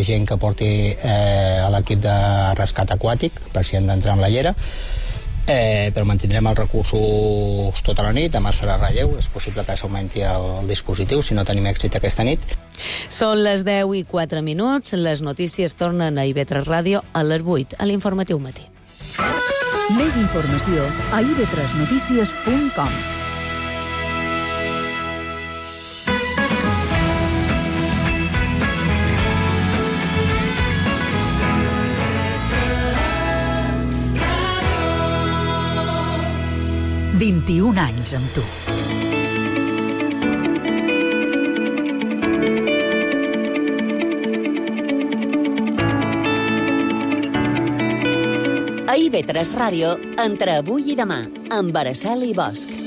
gent que porti a l'equip de rescat aquàtic, per si han d'entrar amb la llera. Però mantindrem els recursos tota la nit, demà es farà relleu, és possible que s'augmenti el dispositiu si no tenim èxit aquesta nit. Són les 10:04, les notícies tornen a IB3 Ràdio a les 8, a l'informatiu matí. Més informació a ib3notícies.com. «21 anys amb tu». A IB3 Ràdio, entre avui i demà, amb Araceli Bosch.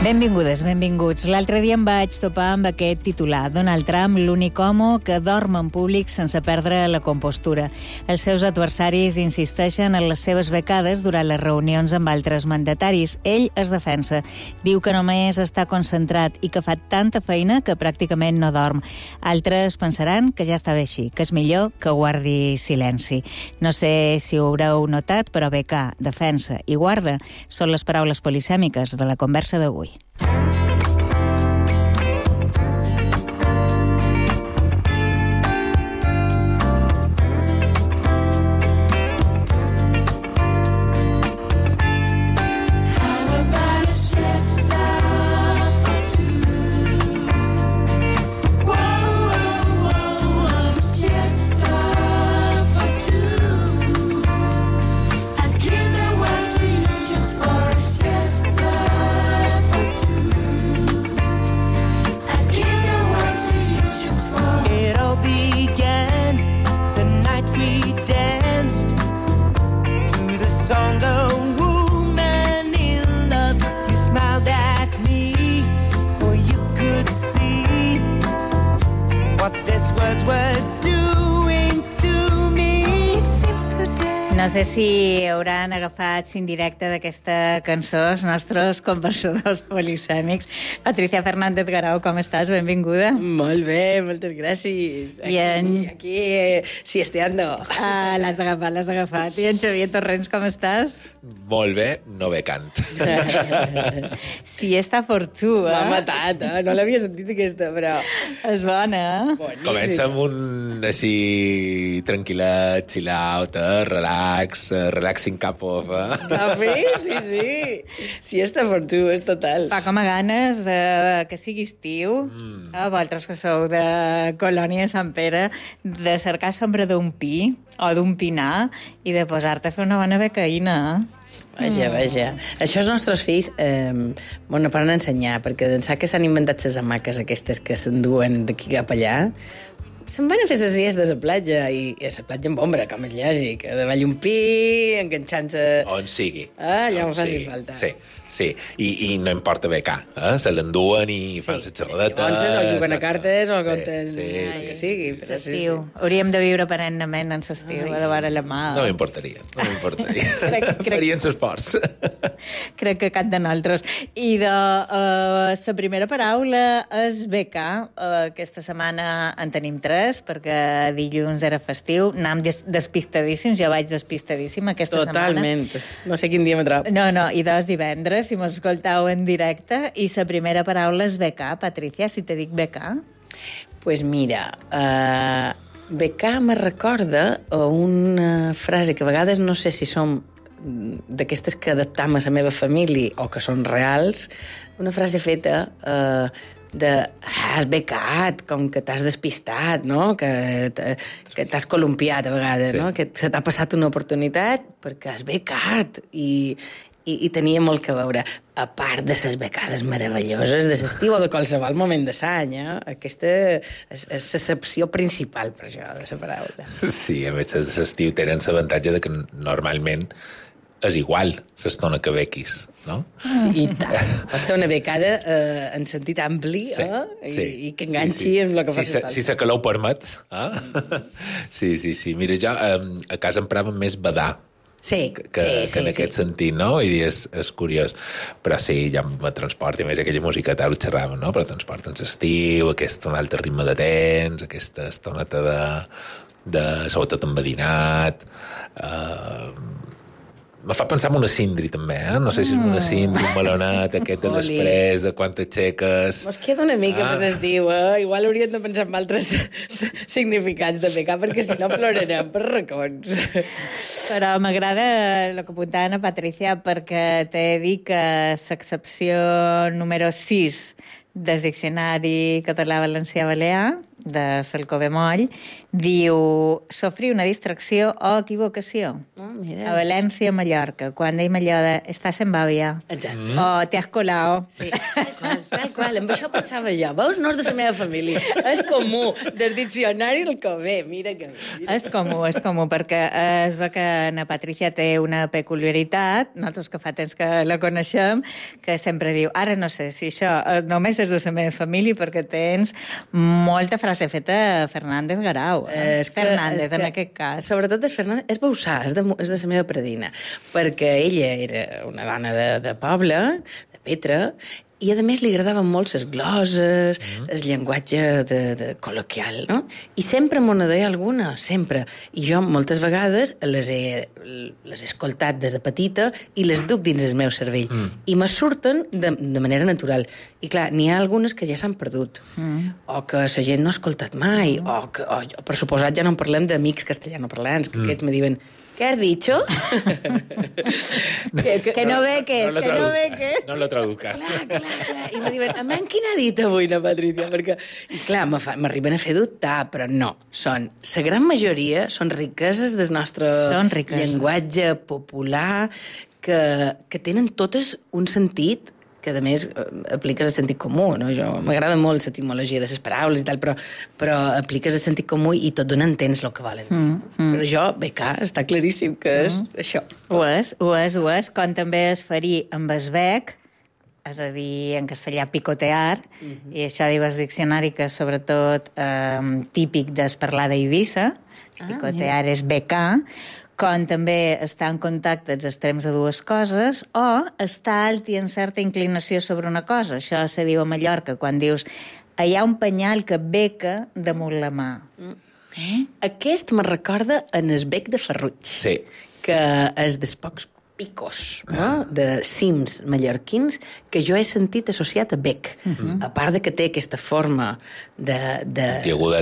Benvingudes, benvinguts. L'altre dia em vaig topar amb aquest titular. Donald Trump, l'únic home que dorm en públic sense perdre la compostura. Els seus adversaris insisteixen en les seves becades durant les reunions amb altres mandataris. Ell es defensa. Diu que només està concentrat i que fa tanta feina que pràcticament no dorm. Altres pensaran que ja està bé així, que és millor que guardi silenci. No sé si ho haureu notat, però becar, defensa i guarda són les paraules polisèmiques de la conversa d'avui. No sé si hauran agafat indirecte d'aquesta cançó els nostres conversadors polisèmics. Patricia Fernández Garau, com estàs? Benvinguda. Molt bé, moltes gràcies. Aquí siesteando. L'has agafat. I en Xavier Torrents, com estàs? Molt bé, no becant. Siesta for two, M'ha matat, no l'havia sentit aquesta, però... És bona, Boníssim. Comença amb un així tranquil·let, chill out, relaxing cup of... Cafè? Sí. Siesta for two, és total. Fa com a ganes que sigui estiu, vosaltres que sou de Colònia de Sant Pere, de cercar sombra d'un pi o d'un pinar i de posar-te a fer una bona becaïna. Vaja. Això els nostres fills no poden ensenyar, perquè d'ençà que s'han inventat les hamaques aquestes que s'enduen d'aquí cap allà, se'n van a fer les siestes a la platja, i a la platja amb ombra, com és lògic, davall un pi, enganxant-se... On sigui. Allà on faci falta. Sí. I no importa becar, se l'enduen i fan les xerradetes... Llavors, o juguen a cartes, o compten... Sí. Que sigui. L'estiu. Hauríem de viure perennament en l'estiu, a davant la mà. No m'importaria. Farien l'esforç. Crec que cap de nosaltres. I la primera paraula és becar. Aquesta setmana en tenim 3, perquè dilluns era festiu. Anàvem despistadíssims, jo vaig despistadíssima aquesta setmana. Totalment. No sé quin dia m'he trobat. No, i 2 divendres, si m'escoltau en directe, i la primera paraula és becar. Patricia, si te dic becar? Pues mira, becar me recorda una frase que a vegades no sé si som d'aquestes que adaptam a la meva família o que són reals, una frase feta has becat, com que t'has despistat, no? Que t'has columpiat a vegades, no? Que se t'ha passat una oportunitat perquè has becat i tenia molt que veure. A part de les becades meravelloses de l'estiu o de qualsevol moment de l'any, aquesta és l'excepció principal per això, de la paraula. Sí, a més, l'estiu tenen l'avantatge de que normalment és igual l'estona que bequis, no? Sí, i tant. Pot ser una becada en sentit ampli, i que enganxi amb el que faci falta. Si la calor ho permet. Sí. Mira, jo a casa emprava més badar Sí, que en aquest sentit, no? I és curiós. Però sí, ja me transporta, més aquella música tal, ho xerràvem, no? Però transporta en l'estiu, un altre ritme de temps, aquesta estoneta de sobretot envadinat. Me fa pensar en una cindri, també, No sé si és una cindri, un melonet, aquest de després, de quan t'aixeques... Mos queda una mica per l'estiu, Igual hauríem de pensar en altres significats de pecar, perquè si no plorarem per racons. Però m'agrada el que apuntava a Patricia, perquè t'he dit que l'excepció número 6 del Diccionari Català-Valencià-Balear, de Salcó Bemoll, diu sofrir una distracció o equivocació. Mira. A València, Mallorca, quan deim allò de estàs en bàbia. Exacte. O te has colado. Sí, tal qual. Amb això pensava jo. Veus? No és de la meva família. És comú. Del diccionari el que ve. Mira que bé. És comú, perquè es ve que na Patricia té una peculiaritat, nosaltres que fa temps que la coneixem, que sempre diu, ara no sé si això només és de la meva família, perquè tens molta frase feta a Fernández Garau. Fernández, en aquest cas. Sobretot és Fernández, és Bausà, és de la meva predina, perquè ella era una dona de poble, de Petra, i a més li agradaven molt les gloses, el llenguatge col·loquial, no? I sempre m'ho deia alguna, sempre. I jo moltes vegades les he escoltat des de petita i les duc dins el meu cervell. I me surten de manera natural. I clar, n'hi ha algunes que ja s'han perdut, o que la gent no ha escoltat mai, o per suposat ja no en parlem d'amics castellanoparlants, que aquests me diuen ¿qué has dicho? que no beques, que no beques. No lo traduzcas. Clar. I me diuen, a quin ha dit avui la Patricia? Perquè, i clar, m'arriben a fer dubtar, però no. La gran majoria són riqueses del nostre llenguatge popular, que tenen totes un sentit que, a més, apliques el sentit comú, no? M'agrada molt l'etimologia de les paraules i tal, però apliques el sentit comú i tot d'una entens el que volen dir. Però jo, becà, està claríssim que és això. Ho és, com també es faria amb el bec, és a dir, en castellà, picotear, i això diu el diccionari que, sobretot, típic del parlar d'Eivissa, picotear és becar, com també estar en contacte als extrems de dues coses, o estar alt i en certa inclinació sobre una cosa. Això se diu a Mallorca, quan dius hi ha un penyal que beca damunt la mà. Aquest me recorda en el bec de Ferruig, que és dels pocs picos, no? De cims mallorquins que jo he sentit associat a bec. A part de que té aquesta forma puntiaguda,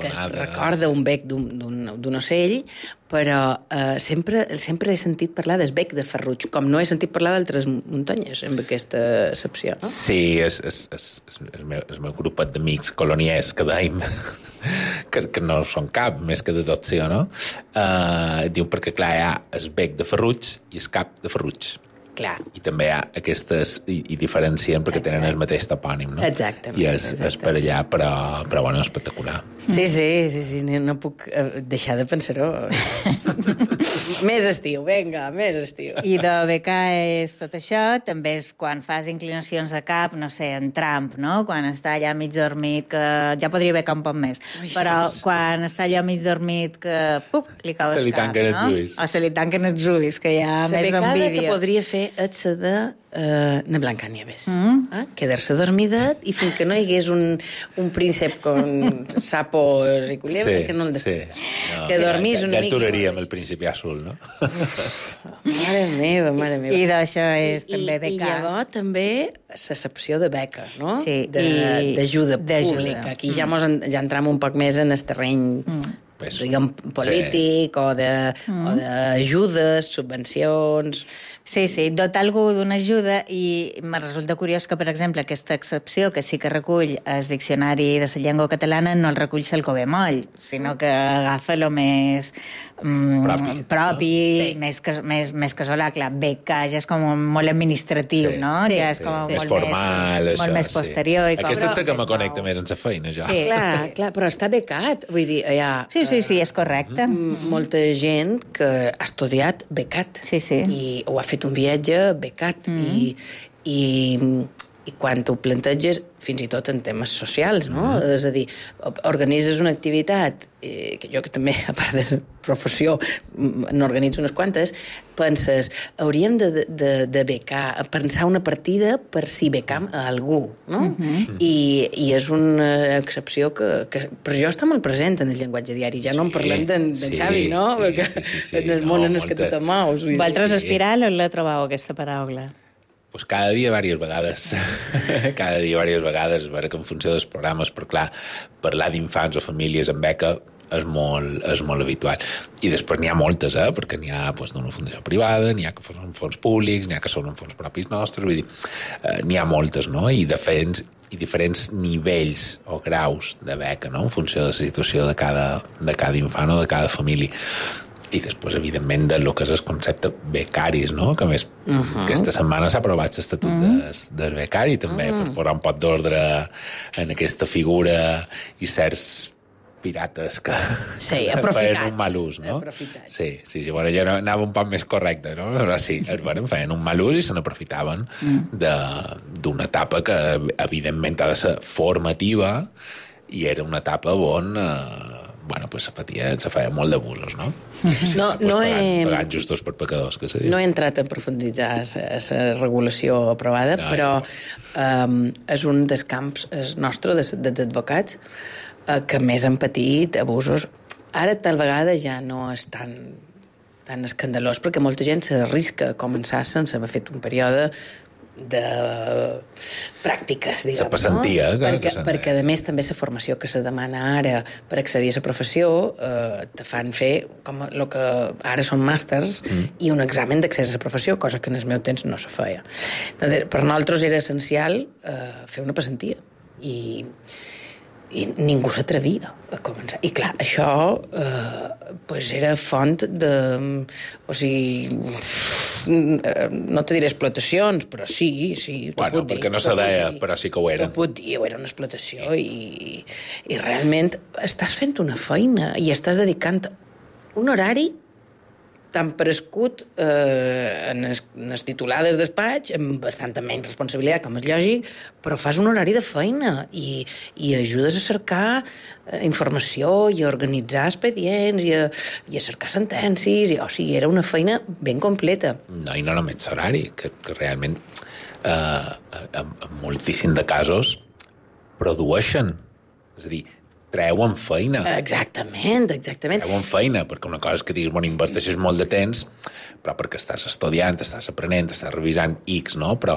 que recorda un bec d'un ocell, però sempre he sentit parlar del bec de Ferruig, com no he sentit parlar d'altres muntanyes amb aquesta excepció. No? Sí, el meu grupet d'amics coloniers que dèiem que no són cap, més que d'adopció, no? Diu perquè, clar, hi ha el bec de Ferruig i el cap de Ferruig. Clar. I també hi ha aquestes, i diferencien perquè tenen el mateix topònim, no? Exactament. I és per allà, però bueno, espectacular. Sí, no puc deixar de pensar-ho. Més estiu, vinga, més estiu. I de becar és tot això, també és quan fas inclinacions de cap, no sé, en Trump, no? Quan està allà mig dormit, que ja podria becar un poc més, però quan està allà mig dormit, que li cau el cap, no? Se li tanquen els ulls. O se li tanquen els ulls, que hi ha més d'envídia. La becada que podria fer és la de na Blancanieves. Quedar-se dormidet i fins que no hi hagués un príncep con sapos i culebra, que no el que dormís una mica. Ja aturaríem el principi azul, no? Mare meva. I d'això és també becar. I llavors també l'excepció de beca, no? Sí. D'ajuda pública. Aquí ja entram un poc més en el terreny diguem, polític o d'ajudes, subvencions... Sí, dotar algú d'una ajuda, i me resulta curiós que, per exemple, aquesta excepció, que sí que recull el diccionari de la llengua catalana, no el recull Salcó Bemoll, sinó que agafa el més propi, més casolà. Clar, beca ja és com molt administratiu, no? Ja és com més formal, molt més posterior. Aquesta és la que me connecta més amb la feina, ja. Clar, però està becat. Vull dir, hi ha... Sí, és correcte. Molta gent que ha estudiat becat. Sí. I ho ha fet un viatge becat. I i quan t'ho planteges fins i tot en temes socials, no? És a dir, organitzes una activitat, que jo que també, a part de la professió, n'organitzo unes quantes, penses, hauríem de becar, pensar una partida per si becam a algú, no? I és una excepció que per jo està molt present en el llenguatge diari, ja no en parlem d'en Xavi, no? Sí, en el món en el que tu te mous. Vosaltres Espiral on la trobeu, aquesta paraula? Pues cada dia diverses vegades. Cada dia diverses vegades. És vera que en funció dels programes, però clar, parlar d'infants o famílies amb beca és molt habitual. I després n'hi ha moltes, perquè n'hi ha d'una fundació privada, n'hi ha que són fons públics, n'hi ha que són en fons propis nostres, vull dir, n'hi ha moltes, no? I diferents nivells o graus de beca, no? En funció de la situació de cada infant o de cada família. I després, evidentment, del que és el concepte becaris, no? Que a més, aquesta setmana s'ha aprovat l'estatut del becari, també, per posar un pot d'ordre en aquesta figura i certs pirates que feien un mal ús, no? Sí, bueno, jo anava un poc més correcte, no? Però sí, feien un mal ús i se n'aprofitaven d'una etapa que, evidentment, ha de ser formativa i era una etapa on se feia molt d'abusos, no? Pagant justos per pecadors, que se diu. No he entrat a profunditzar la regulació aprovada, però és un dels camps nostre, dels advocats, que més han patit abusos. Ara, tal vegada, ja no és tan escandalós, perquè molta gent s'arrisca a començar sense haver fet un període de pràctiques, diguem, la passantia, no? Perquè a més també la formació que se demana ara per accedir a la professió te fan fer com el que ara són màsters i un examen d'accés a la professió, cosa que en el meu temps no se feia. Per nosaltres era essencial fer una passantia i ningú s'atrevia a començar. I clar, això era font de... O sigui, no te diré explotacions, però sí. Bueno, perquè no se deia, però sí que ho era. Ho puc dir, era una explotació i realment estàs fent una feina i estàs dedicant un horari tan prescut en les titulades despatx, amb bastanta menys responsabilitat, com és lògic, però fas un horari de feina i ajudes a cercar informació i a organitzar expedients i a cercar sentències. O sigui, era una feina ben completa. No, i no només horari, que realment en moltíssim de casos produeixen. És a dir, treuen feina. Exactament. Treuen feina, perquè una cosa és que diguis, bueno, inverteixes molt de temps, però perquè estàs estudiant, estàs aprenent, estàs revisant X, no? Però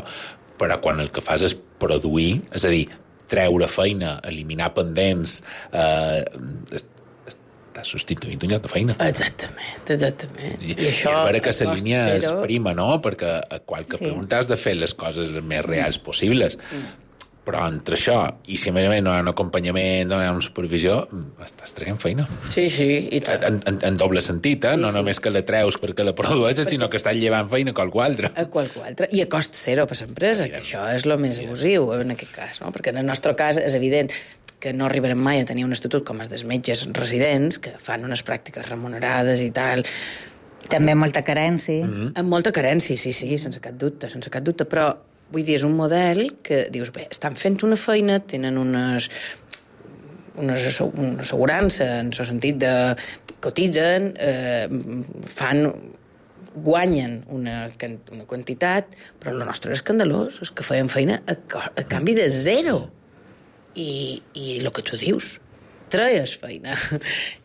quan el que fas és produir, és a dir, treure feina, eliminar pendents, estàs substituint un lloc de feina. Exactament. I això... I és vera que la línia és prima, no? Perquè a qualque pregunta has de fer les coses les més reals possibles. Però entre això, i si a més no hi ha un acompanyament, no hi ha una supervisió, estàs traient feina. Sí, i tant. En doble sentit, no només que la treus perquè la produeixes, sinó que estàs llevant feina a qualcú altre. A qualcú altre. I a cost zero per l'empresa, que això és el més abusiu en aquest cas, no? Perquè en el nostre cas és evident que no arribarem mai a tenir un estatut com els dels metges residents, que fan unes pràctiques remunerades i tal. També amb molta carència. Amb molta carència, sí, sense cap dubte, però vull dir, és un model que dius, bé, estan fent una feina, tenen una assegurança en el sentit de cotitzen, guanyen una quantitat, però el nostre és escandalós, és que feien feina a canvi de zero. I el que tu dius, treies feina.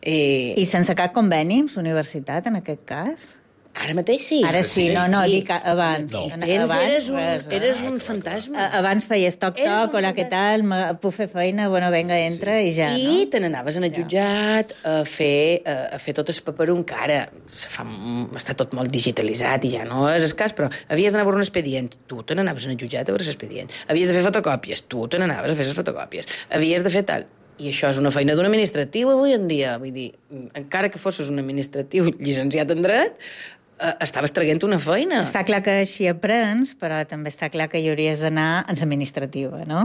I sense cap conveni amb la universitat, en aquest cas? Ara mateix sí. Ara sí, dic abans. No. Eres un fantasma. Abans feies toc-toc, hola, què tal, puc fer feina, bueno, venga, entra i ja. I te n'anaves en el jutjat a fer tot el paperum, que ara està tot molt digitalitzat i ja no és escàs, però havies d'anar a veure un expedient, tu te n'anaves en el jutjat a veure l'expedient. Havies de fer fotocòpies, tu te n'anaves a fer les fotocòpies. Havies de fer tal. I això és una feina d'un administratiu avui en dia. Vull dir, encara que fossis un administratiu llicenciat en dret, estaves traient una feina. Està clar que així aprens, però també està clar que hi hauries d'anar en l'administrativa, no?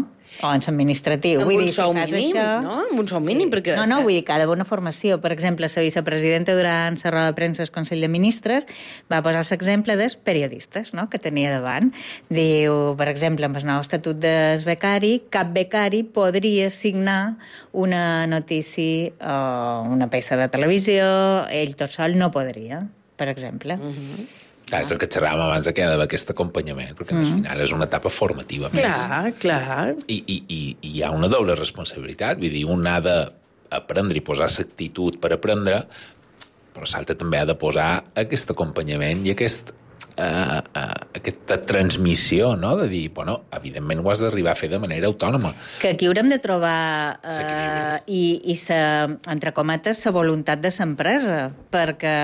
O en l'administratiu. Amb un sou mínim, no? Amb un sou mínim, perquè... No, vull dir que ha d'haver una formació. Per exemple, la vicepresidenta durant la roda de premsa del Consell de Ministres va posar l'exemple dels periodistes, no?, que tenia davant. Diu, per exemple, amb el nou estatut del becari, cap becari podria signar una notícia o una peça de televisió, ell tot sol no podria, per exemple. Clar, és el que xerràvem abans que hi ha d'haver aquest acompanyament, perquè al final és una etapa formativa més. Clar. I hi ha una doble responsabilitat, vull dir, un ha d'aprendre i posar l'actitud per aprendre, però l'altre també ha de posar aquest acompanyament i aquesta transmissió, no?, de dir, bueno, evidentment ho has d'arribar a fer de manera autònoma. Que aquí haurem de trobar entre cometes, la voluntat de l'empresa, perquè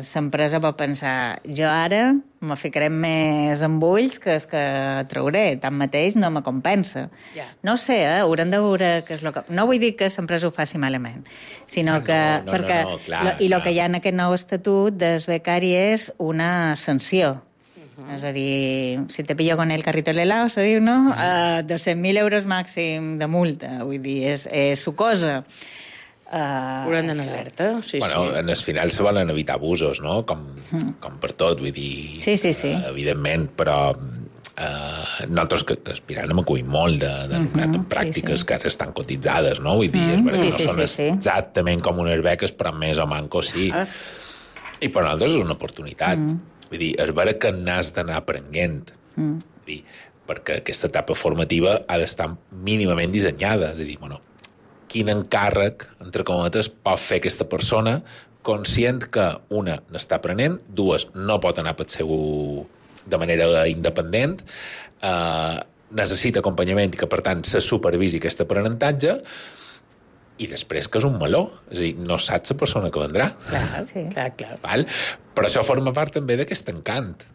l'empresa pot pensar, jo ara me ficaré més en ulls que és que trauré, tanmateix no me compensa. No sé, haurem de veure què és el que... No vull dir que l'empresa ho faci malament, sinó que... I el que hi ha en aquest nou estatut del becari és una sanció. És a dir, si te pillo con el carrito de l'helado, se diu, no? 200.000 euros màxim de multa. Vull dir, és sucosa. Hauran d'anar alerta, sí. En el final se volen evitar abusos, no? Com per tot, vull dir... Sí. Evidentment, però nosaltres que aspirant hem acudit molt de pràctiques que ara estan cotitzades, no? Vull dir, és veritat que no són exactament com unes beques, però més o manco sí. I per nosaltres és una oportunitat. Vull dir, és vera que n'has d'anar aprenent. Vull dir, perquè aquesta etapa formativa ha d'estar mínimament dissenyada. És a dir, bueno, quin encàrrec, entre cometes, pot fer aquesta persona conscient que, una, n'està aprenent, dues, no pot anar pel seu de manera independent, necessita acompanyament i que, per tant, se supervisi aquest aprenentatge, i després que és un meló. És a dir, no saps la persona que vendrà. Clar. Val? Però això forma part també d'aquest encant.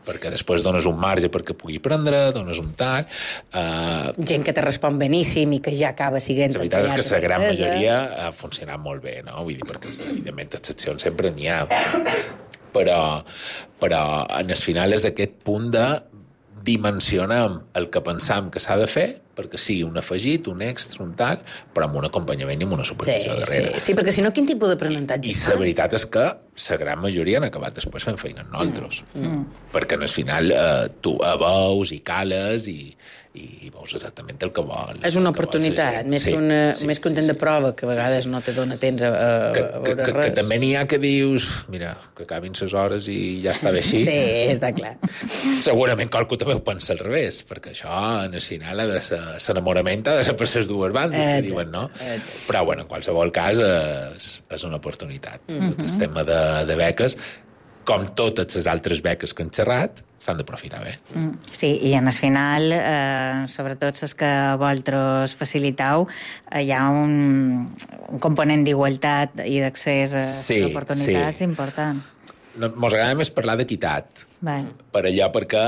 Perquè després dones un marge perquè pugui prendre, dones un tal... Gent que te respon beníssim i que ja acaba sent... La veritat és que la gran majoria ha funcionat molt bé, no? Vull dir, perquè evidentment excepcions sempre n'hi ha. Però en el final és aquest punt de dimensionar el que pensam que s'ha de fer perquè sigui un afegit, un extra, un tal, però amb un acompanyament i amb una supervisió darrere. Sí, perquè si no, quin tipus d'aprenentatge? I la veritat és que la gran majoria han acabat després fent feina amb nosaltres. Perquè al final tu veus i cales i veus exactament el que vol. És una oportunitat, més que un temps de prova, que a vegades no te dona temps a veure res. Que també n'hi ha que dius, mira, que acabin les hores i ja està bé així. Sí, està clar. Segurament qualcú també ho pensa al revés, perquè això, al final, ha de ser l'enamorament ha de ser per les dues bandes, que diuen, no? Però, bueno, en qualsevol cas, és una oportunitat. Tot el tema de beques, com totes les altres beques que han xerrat, s'han d'aprofitar bé. Sí, i en el final, sobretot les que vosaltres facilitau, hi ha un component d'igualtat i d'accés a oportunitats important. Mos agrada més parlar d'equitat, per allò perquè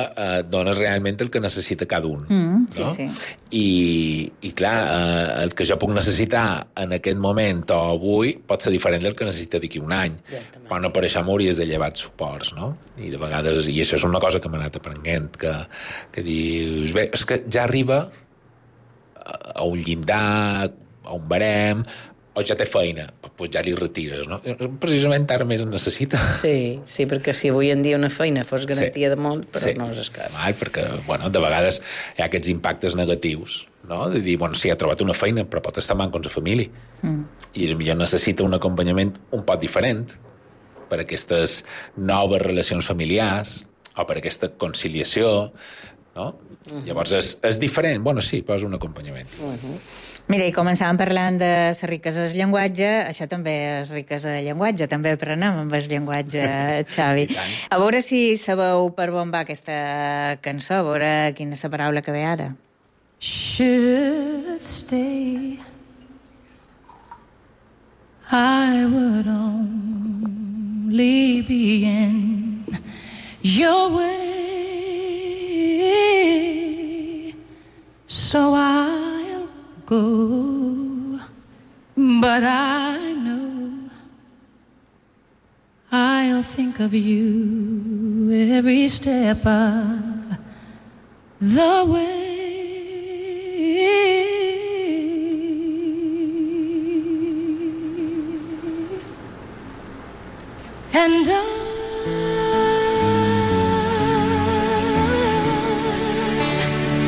dones realment el que necessita cada un. No? I clar, el que jo puc necessitar en aquest moment o avui pot ser diferent del que necessita d'aquí un any. Però no per això m'hauries de llevar suports, no? I de vegades, i això és una cosa que m'ha anat aprenent, que dius, bé, és que ja arriba a un llindar, a un barem, o ja té feina, doncs ja li retires, no? Precisament ara més en necessita. Sí, perquè si avui en dia una feina fos garantia de molt, però no és escap. Perquè, bueno, de vegades hi ha aquests impactes negatius, no? De dir, bueno, sí, ha trobat una feina, però pot estar manco amb la família. I potser necessita un acompanyament un poc diferent per a aquestes noves relacions familiars o per a aquesta conciliació, no? Llavors és diferent. Bueno, sí, però és un acompanyament. Mira, i començàvem parlant de les riquesa del llenguatge, això també és riquesa del llenguatge, també aprenem amb el llenguatge, Xavi. A veure si sabeu per on va aquesta cançó, a veure quina és la paraula que ve ara. Should stay, I would only be in your way, so I'll go, but I know I'll think of you every step of the way. And I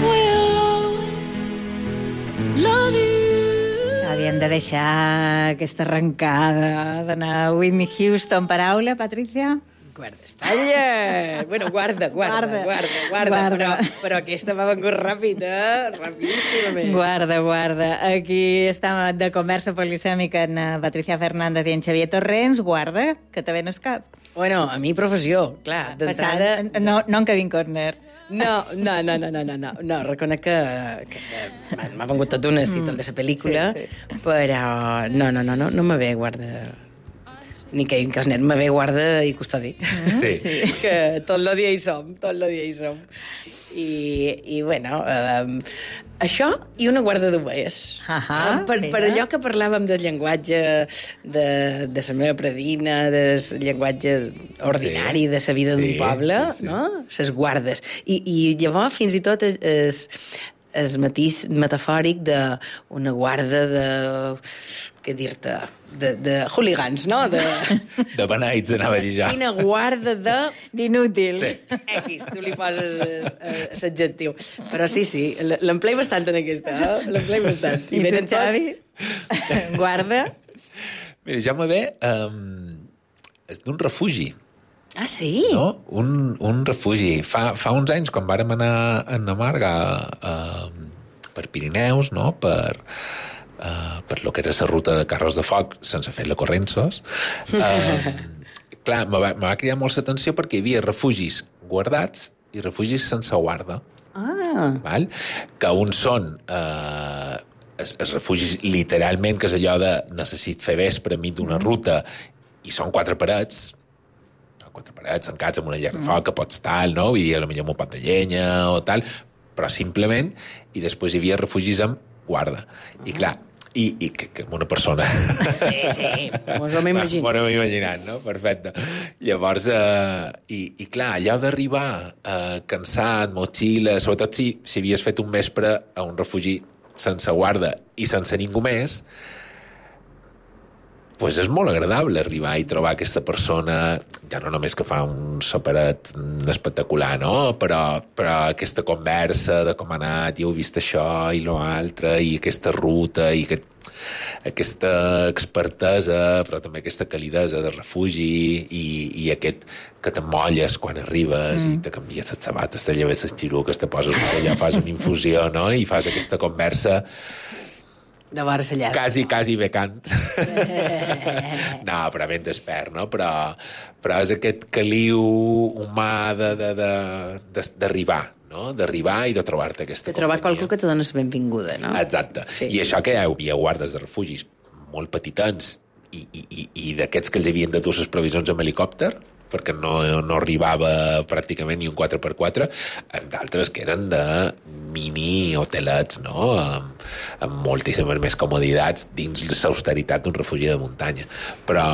will always love you. Havíem de deixar aquesta arrencada d'anar a Whitney Houston. Paraula, Patricia? Guarda, Espanya! Bueno, guarda. Però aquesta m'ha vengut ràpid, rapidíssimament. Guarda. Aquí està de conversa polisèmica en Patricia Fernández i en Xavier Torrents. Guarda, que també no és cap. Bueno, a mi professió, clar, d'entrada... No en Kevin Costner. No, reconec que m'ha vengut tot un títol de la pel·lícula, sí. Però no me ve guarda... Ni Kevin Costner, me ve guarda i custodi. Sí. Que tot el dia hi som. I bueno, això i una guarda d'ovelles. Per allò que parlàvem del llenguatge de la meva predina, del llenguatge ordinari de la vida d'un poble, no? Les guardes. I llavors fins i tot el matís metafòric d'una guarda de... què dir-te? De hooligans, no? De beneits, anava a dir ja. Quina guarda d'inútils. Sí. X, tu li poses l'adjectiu. Però sí, l'emplei bastant en aquesta, l'emplei bastant. I tu, Xavi? Guarda? Mira, ja me ve... és d'un refugi. Ah, sí? No? Un refugi. Fa uns anys, quan vàrem anar a Namarga per Pirineus, no? Per lo que era la ruta de carros de foc sense fer la Corrensos, clar, me va cridar molt l'atenció perquè hi havia refugis guardats i refugis sense guarda. Val? Que uns són els refugis literalment, que és allò de necessit fer vespre enmig d'una ruta, i són quatre parets tancats amb una llar de foc que pots tal, no? Vull dir, potser amb un pot de llenya o tal, però simplement, i després hi havia refugis amb guarda. I clar, i que una persona... Sí, mos ho hem imaginat. M'ho hem imaginat, no? Perfecte. Llavors, i clar, allò d'arribar cansat, motxilla, sobretot si havies fet un vespre a un refugi sense guarda i sense ningú més, pues és molt agradable arribar i trobar aquesta persona, ja no només que fa un superet espectacular, no? Però aquesta conversa de com ha anat, i heu vist això i l'altre, i aquesta ruta, i aquesta expertesa, però també aquesta calidesa de refugi, i aquest que t'emmolles quan arribes i te canvies les sabates, te lleves les xiruques, te poses allà, fas una infusió, no? I fas aquesta conversa quasi becant. No, però ben despert, no? Però és aquest caliu humà d'arribar, no? D'arribar i de trobar-te aquesta companyia. De trobar qualcú que te dona la benvinguda, no? Exacte. Sí. I això que hi havia guardes de refugis molt petitans i d'aquests que els havien de dur les provisions amb helicòpter, perquè no arribava pràcticament ni un 4x4, amb d'altres que eren de mini hotelets, no? Amb moltíssimes més comoditats dins l'austeritat d'un refugi de muntanya. Però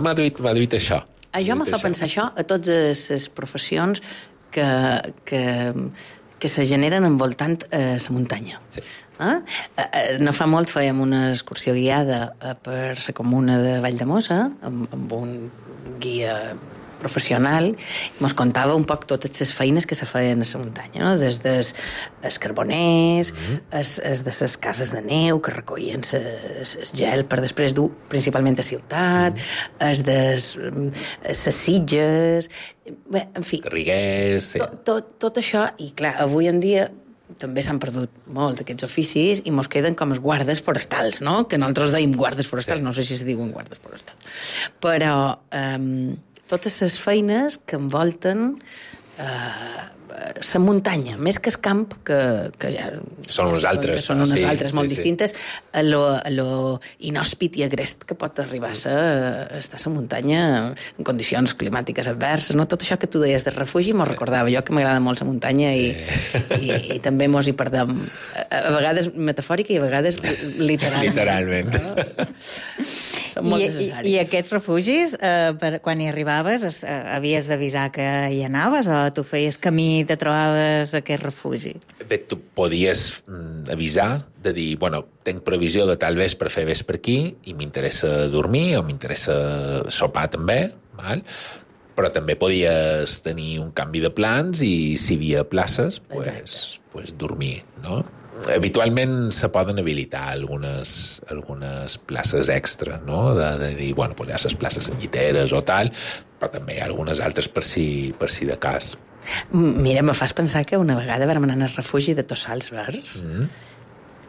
m'ha duit això. Això me fa pensar això a totes les professions que se generen envoltant la muntanya. Sí. No fa molt fèiem una excursió guiada per la comuna de Valldemossa amb un guia professional, i mos contava un poc totes les feines que se feien a la muntanya, no? Des dels carboners, des de les cases de neu que recollien el gel per després dur principalment a ciutat, les sitges, bé, en fi. Garriguers, sí. Tot això, i clar, avui en dia també s'han perdut molts d'aquests oficis i mos queden com els guardes forestals, no? Que nosaltres deim guardes forestals, no sé si es diuen guardes forestals. Però totes les feines que envolten la muntanya, més que el camp, que ja són unes altres, són unes altres molt distintes, a lo inhòspit i agrest que pot arribar a estar a la muntanya en condicions climàtiques adverses, no? Tot això que tu deies de refugi m'ho recordava, jo que m'agrada molt la muntanya i també mos hi perdem, a vegades metafòrica i a vegades literalment. Literalment. Són molt necessaris. I aquests refugis, quan hi arribaves, havies d'avisar que hi anaves o tu feies camí i te trobaves aquest refugi? Bé, tu podies avisar de dir, bueno, tenc previsió de tal vespre fer vespre aquí i m'interessa dormir o m'interessa sopar també, val? Però també podies tenir un canvi de plans i si hi havia places, pues dormir, no? Habitualment se poden habilitar algunes places extra, no? De dir, bueno, pues hi ha les places en lliteres o tal, però també hi ha algunes altres per si de cas. Mira, me fas pensar que una vegada vam anar al refugi de Tossals Verds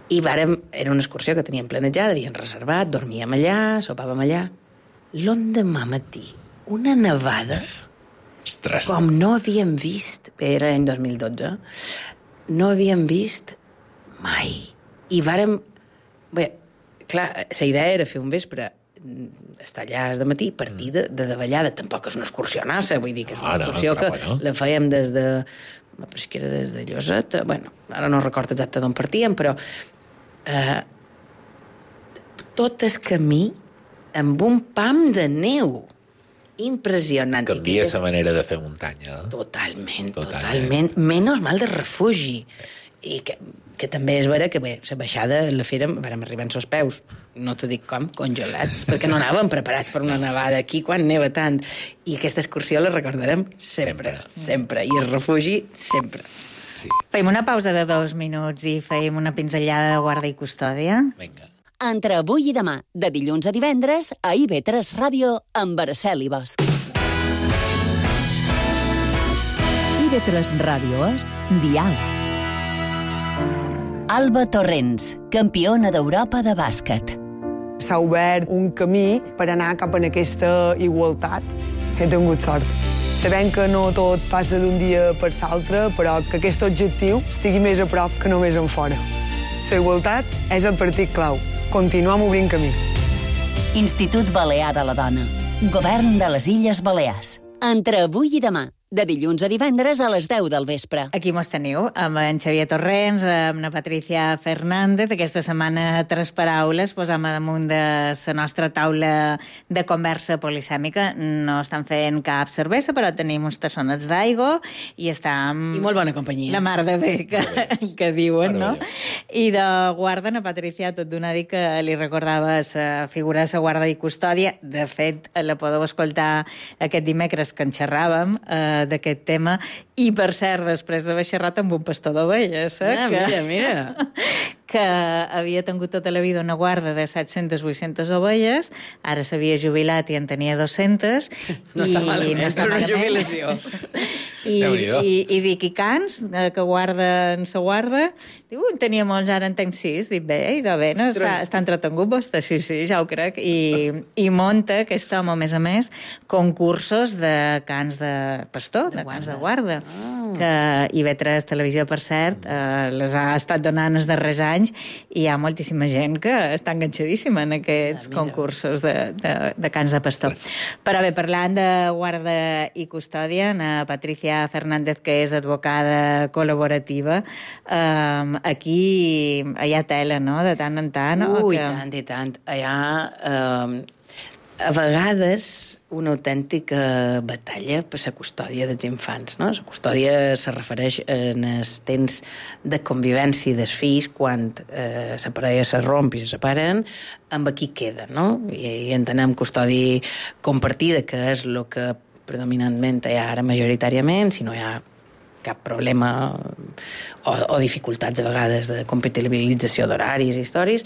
i era una excursió que teníem planejada, havíem reservat, dormíem allà, sopàvem allà. L'endemà matí, una nevada, Ostres. com no havíem vist, era l'any 2012, no havíem vist mai. I vàrem... Bé, clar, la idea era fer un vespre, estar allà de matí, partir de davallada. Tampoc és una excursió nassa, vull dir que és una excursió que la fèiem des de... Però és que era des de Lloseta. Bueno, ara no recordo exacte d'on partíem, però tot el camí amb un pam de neu. Impressionant. Canvia la manera de fer muntanya. Totalment. Menys mal de refugi. Sí. I que també és vera que, bé, la baixada la fèrem, vàrem arribar als peus, no t'ho dic com, congelats, perquè no anàvem preparats per una nevada aquí quan neva tant. I aquesta excursió la recordarem sempre. I el refugi, sempre. Sí. Fem una pausa de 2 minuts i fem una pinzellada de guarda i custòdia. Vinga. Entre avui i demà, de dilluns a divendres, a IB3 Ràdio, amb Araceli Bosch. IB3 Ràdio és Dial. Alba Torrents, campiona d'Europa de bàsquet. S'ha obert un camí per anar cap a aquesta igualtat. He tingut sort. Sabem que no tot passa d'un dia per l'altre, però que aquest objectiu estigui més a prop que només en fora. La igualtat és el partit clau. Continuem obrint camí. Institut Balear de la Dona. Govern de les Illes Balears. Entre avui i demà, de dilluns a divendres a les 10 del vespre. Aquí mos teniu, amb en Xavier Torrents, amb la Patricia Fernández. Aquesta setmana, 3 paraules, posam damunt de la nostra taula de conversa polisèmica. No estan fent cap cervesa, però tenim uns tassonets d'aigua i estem... I molt bona companyia. La mar de bé, que diuen, no? I de guarda, la Patricia, tot d'una dir que li recordava la figura de la guarda i custòdia. De fet, la podeu escoltar aquest dimecres que en xerràvem, d'aquest tema, i per cert, després d'haver xerrat amb un pastor d'ovelles, Mira. que havia tingut tota la vida una guarda de 700-800 ovelles, ara s'havia jubilat i en tenia 200. No està malament, no està per una malament. jubilació. I dic, i cans, que guarden sa guarda? Diu, en tenia molts, ara en tenc 6. Dic, bé, idò bé, no? Està entretengut vostè? Sí, ja ho crec. I munta aquest home, a més, concursos de cans de pastor, de cans de guarda. Que IB3 Televisió, per cert, les ha estat donant els darrers anys i hi ha moltíssima gent que està enganxadíssima en aquests concursos de cans de pastor. Però bé, parlant de guarda i custòdia, la Patricia Fernández, que és advocada col·laborativa, aquí hi ha tela, no?, de tant en tant. I tant. Hi ha... a vegades una autèntica batalla per la custòdia dels infants, no? La custòdia se refereix en els temps de convivència dels fills quan la parella se romp i se separen, amb qui queda, no? I entenem custòdia compartida, que és el que predominantment hi ha ara majoritàriament, si no hi ha cap problema o dificultats a vegades de compatibilització d'horaris i històries,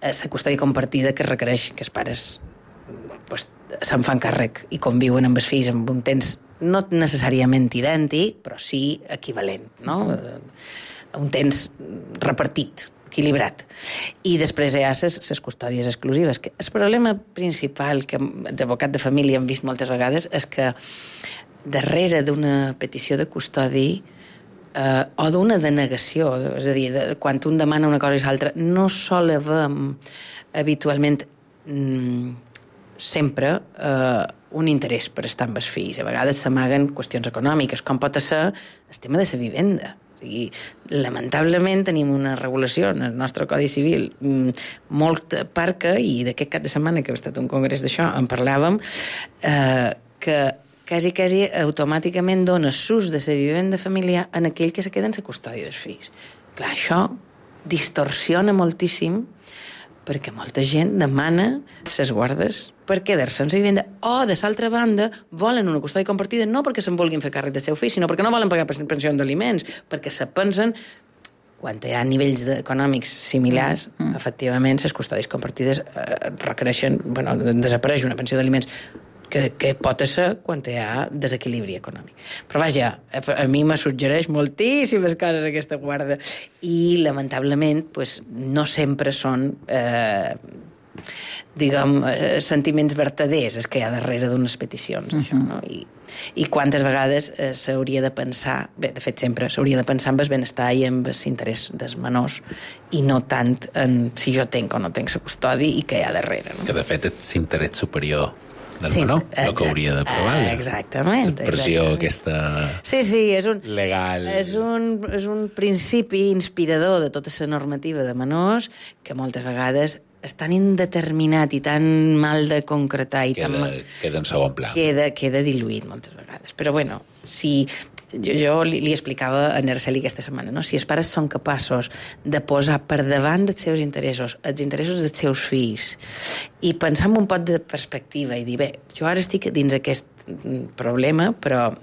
la custòdia compartida que requereix que els pares se'n fan càrrec i conviuen amb els fills amb un temps no necessàriament idèntic, però sí equivalent, no? Un temps repartit, equilibrat. I després hi ha les custòdies exclusives. El problema principal que els advocats de família han vist moltes vegades és que darrere d'una petició de custodi o d'una denegació, és a dir, quan un demana una cosa i l'altra, no sol haver habitualment sempre un interès per estar amb els fills. A vegades s'amaguen qüestions econòmiques, com pot ser el tema de la vivenda. sigui, lamentablement tenim una regulació en el nostre Codi Civil molt parca, i d'aquest cap de setmana que ha estat un congrés d'això en parlàvem, que quasi automàticament dona sus de la vivenda familiar en aquell que se queda en la custòdia dels fills. Clar, això distorsiona moltíssim, perquè molta gent demana ses guardes per quedar-se en la vivenda, o, de l'altra banda, volen una custòdia compartida no perquè se'n vulguin fer càrrec del seu fill, sinó perquè no volen pagar pensions d'aliments, perquè se pensen, quan hi ha nivells econòmics similars, efectivament, les custòdies compartides requereixen, desapareix una pensió d'aliments, que pot ser quan hi ha desequilibri econòmic. Però vaja, a mi me suggereix moltíssimes coses aquesta guarda, i lamentablement no sempre són sentiments vertaders els que hi ha darrere d'unes peticions, això, no? I quantes vegades s'hauria de pensar, bé, de fet sempre s'hauria de pensar en el benestar i en l'interès dels menors, i no tant en si jo tenc o no tenc la custòdia i què hi ha darrere, no? Que de fet és l'interès superior del menor, el que hauria de provar. Exactament. La pressió aquesta és un legal. És un principi inspirador de tota la normativa de menors que moltes vegades és tan indeterminat i tan mal de concretar i queda en segon pla. Queda diluït moltes vegades. Però bueno, si jo li explicava a Arceli aquesta setmana, no? Si els pares són capaços de posar per davant dels seus interessos, els interessos dels seus fills, i pensar amb un pot de perspectiva i dir, bé, jo ara estic dins aquest problema, però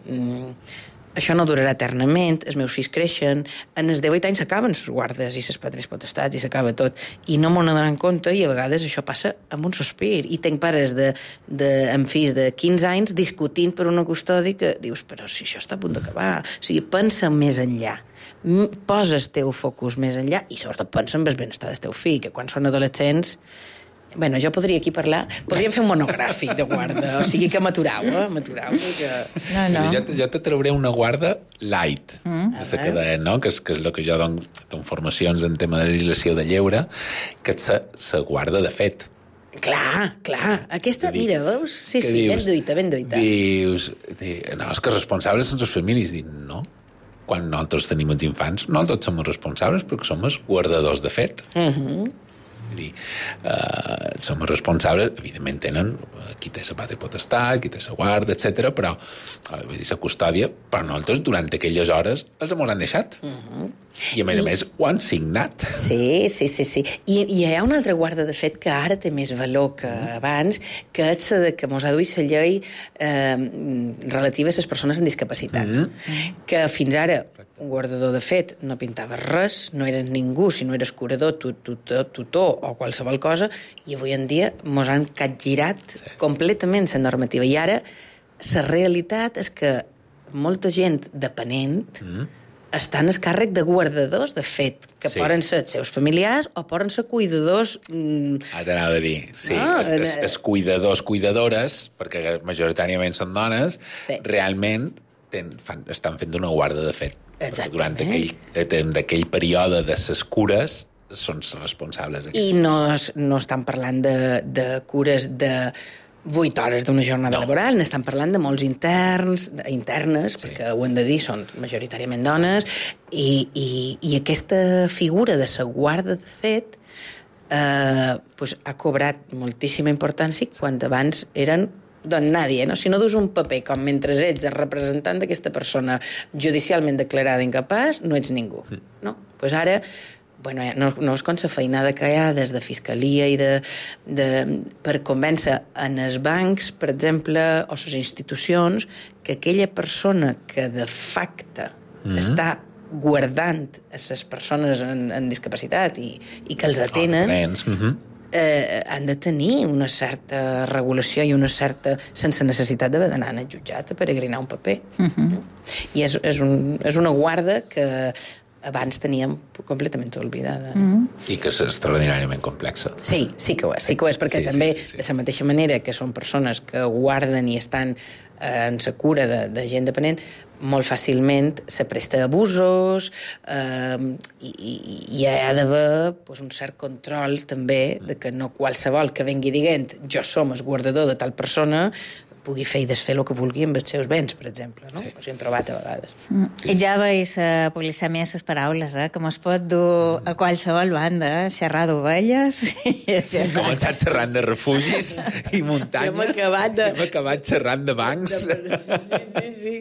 això no durarà eternament, els meus fills creixen, en els 18 anys s'acaben les guardes i les patres potestats i s'acaba tot, i no m'ho donen compte, i a vegades això passa amb un sospir, i tenc pares amb fills de 15 anys discutint per una custòdia que dius, però si això està a punt d'acabar, o sigui, pensa més enllà, posa el teu focus més enllà, i sobretot pensa en el benestar del teu fill, que quan són adolescents, bueno, jo podria aquí parlar, podríem fer un monogràfic de guarda, o sigui que m'aturau, que... No. Jo te trauré una guarda light, no? que és el que jo dono formacions en tema de legislació de lleure, que és la guarda de fet. Clar, aquesta, mira, veus? Sí, ben duita. Dius, no, és que responsables són les famílies. Dic, no, quan nosaltres tenim els infants, no tots som responsables perquè som els guardadors de fet. Som responsables, evidentment tenen qui té la pàtria potestat, qui té la guarda, etc. però la custòdia, però nosaltres durant aquelles hores els hem deixat. I a més ho han signat. Sí. I hi ha una altra guarda de fet que ara té més valor que abans, que és la que mos ha duit la llei relativa a les persones amb discapacitat, que fins ara un guardador de fet no pintava res, no eres ningú si no eres curador, tutor o qualsevol cosa, i avui en dia mos han capgirat completament la normativa. I ara la realitat és que molta gent dependent estan al càrrec de guardadors de fet, que poden ser els seus familiars o poden ser cuidadors... T'anava a dir, sí, els cuidadors, cuidadores, perquè majoritàriament són dones, realment estan fent una guarda de fet. Durant aquell període de ses cures són responsables. I no estan parlant de cures de 8 hores d'una jornada laboral, n'estan parlant de molts internes, perquè ho hem de dir, són majoritàriament dones, i aquesta figura de la guarda de fet ha cobrat moltíssima importància quan abans eren don nadie, no? Si no dus un paper com mentre ets el representant d'aquesta persona judicialment declarada incapaç, no ets ningú, no? Pues ara, no és com la feinada que hi ha des de fiscalia i per convèncer en els bancs, per exemple, o les institucions, que aquella persona que de facte està guardant a les persones en discapacitat i que els atenen, han de tenir una certa regulació i una certa... sense necessitat d'haver d'anar al jutjat a peregrinar un paper. I és una guarda que abans teníem completament oblidada. I que és extraordinàriament complexa. Sí que ho és, perquè també, de la mateixa manera que són persones que guarden i estan en la cura de gent dependent, molt fàcilment se presta a abusos i hi ha d'haver un cert control també de que no qualsevol que vengui dient jo som el guardador de tal persona pugui fer i desfer el que vulgui amb els seus béns, per exemple, no? Sí. O sigui, hem trobat a vegades. I ja veus polisèmia les paraules, que mos pot dur a qualsevol banda, xerrar d'ovelles... Hem començat xerrant de refugis i muntanyes. Hem acabat xerrant de bancs. Sí.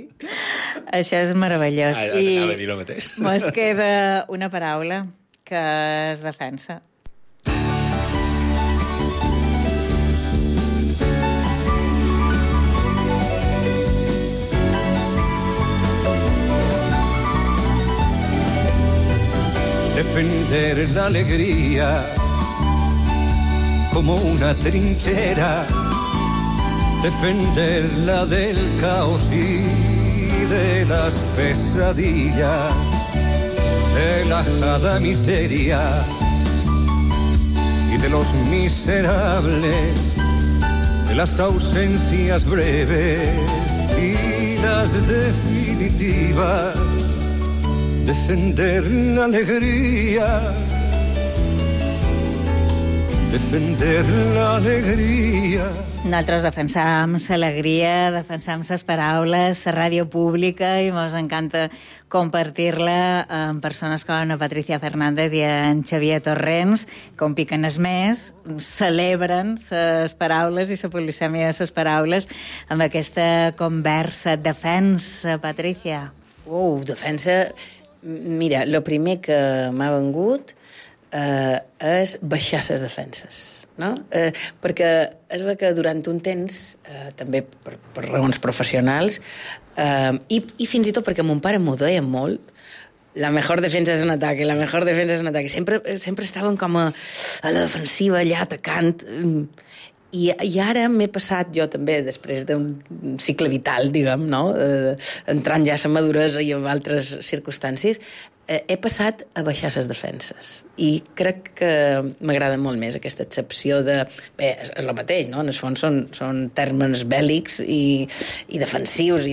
Això és meravellós. Anava a dir el mateix. Mos queda una paraula que es defensa. Defender la alegría como una trinchera, defenderla del caos y de las pesadillas, de la ajada miseria y de los miserables, de las ausencias breves y las definitivas. Defender la alegría, defender la alegría. Nosaltres defensam l'alegria, defensam les paraules, la ràdio pública, i mos encanta compartir-la amb persones com la Patricia Fernández i en Xavier Torrents, com piquen es més, celebren les paraules i la polisèmia de les paraules amb aquesta conversa. Defensa, Patricia. Defensa... Mira, el primer que m'ha vengut és baixar les defenses, no? Perquè es veu que durant un temps, també per raons professionals, i fins i tot perquè mon pare m'ho deia molt, la mejor defensa és un ataque, la mejor defensa és un ataque. Sempre estaven com a la defensiva, allà atacant... I ara m'he passat jo també, després d'un cicle vital, diguem, no? Entrant ja a la maduresa i en altres circumstàncies, he passat a baixar les defenses. I crec que m'agrada molt més aquesta excepció de... Bé, és el mateix, no? En el fons són termes bèl·lics i defensius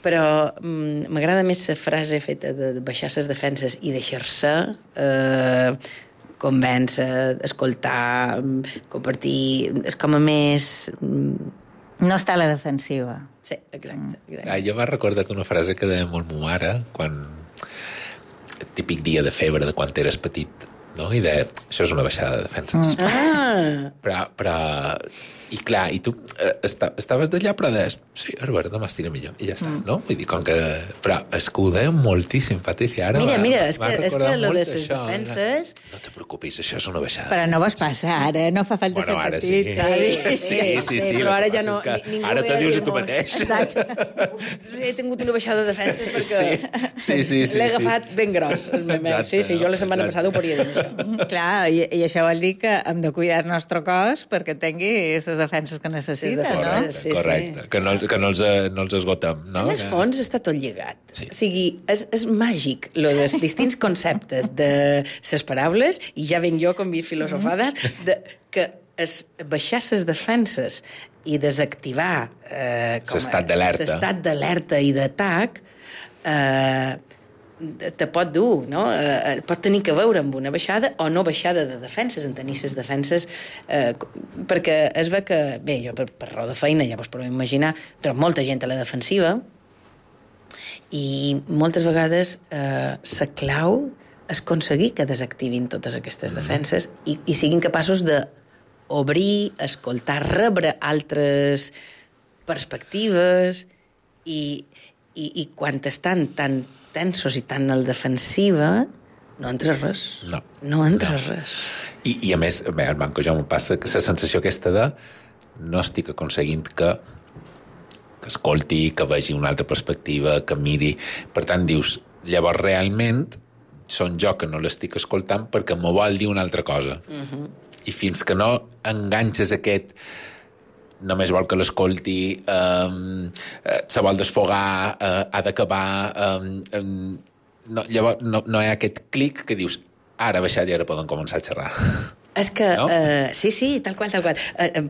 però m'agrada més la frase feta de baixar les defenses i deixar-se... convèncer, escoltar, compartir... És com a més... No està a la defensiva. Sí, exacte. Jo m'he recordat una frase que deia molt ma mare, quan... típic dia de febre de quan eres petit, no? I deia, això és una baixada de defenses. Però... I clar, i tu estaves d'allà, però deies, sí, és vera, demà estiré millor, i ja està, no? Vull dir, com que... Però és que ho deia moltíssim, Patricia, ara mira, és que lo de les defenses... No te preocupis, això és una baixada. Però no vos passa ara, no fa falta ser petit, saps? Sí, però ara ja no... Ara te dius a tu mateix. Exacte. He tingut una baixada de defenses perquè sí, l'he agafat ben gros, el meu. Sí, jo la setmana passada ho podria dir, això. Clar, i això vol dir que hem de cuidar el nostre cos perquè tingui les defenses que necessita, no? Correcte, que no els esgotem, no? En el fons està tot lligat. Sí. O sigui, és màgic, lo dels distints conceptes de les paraules, i ja venc jo com filosofades, que baixar les defenses i desactivar l'estat d'alerta i d'atac te pot dur, no? Pot tenir que veure amb una baixada o no baixada de defenses, en tenir les defenses, perquè es veu que, bé, jo per raó de feina, ja vos podeu imaginar, trobo molta gent a la defensiva i moltes vegades la clau és aconseguir que desactivin totes aquestes defenses i siguin capaços d'obrir, escoltar, rebre altres perspectives i quan estan tan tensos i tan a la defensiva, no entra res. No entra res. I a més, bé, al banco ja m'ho passa, que la sensació aquesta de no estic aconseguint que escolti, que vegi una altra perspectiva, que miri. Per tant, dius, llavors realment són jo que no l'estic escoltant perquè m'ho vol dir una altra cosa. I fins que no enganxes aquest... només vol que l'escolti, se vol desfogar, ha d'acabar... Llavors no hi ha aquest clic que dius ara ha baixat i ara poden començar a xerrar. És que, no? Sí, tal qual.